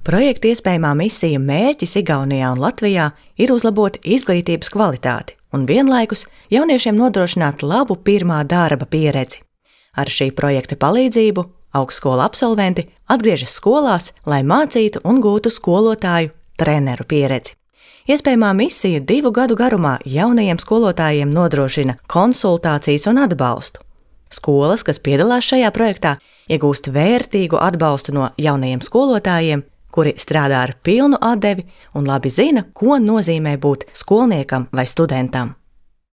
Projekta iespējamā misija mērķis Igaunijā un Latvijā ir uzlabot izglītības kvalitāti un vienlaikus jauniešiem nodrošināt labu pirmā darba pieredzi. Ar šī projekta palīdzību augstskolu absolventi atgriežas skolās, lai mācītu un gūtu skolotāju treneru pieredzi. Iespējamā misija 2 gadu garumā jaunajiem skolotājiem nodrošina konsultācijas un atbalstu. Skolas, kas piedalās šajā projektā, iegūst vērtīgu atbalstu no jaunajiem skolotājiem, kuri strādā ar pilnu atdevi un labi zina, ko nozīmē būt skolniekam vai studentam.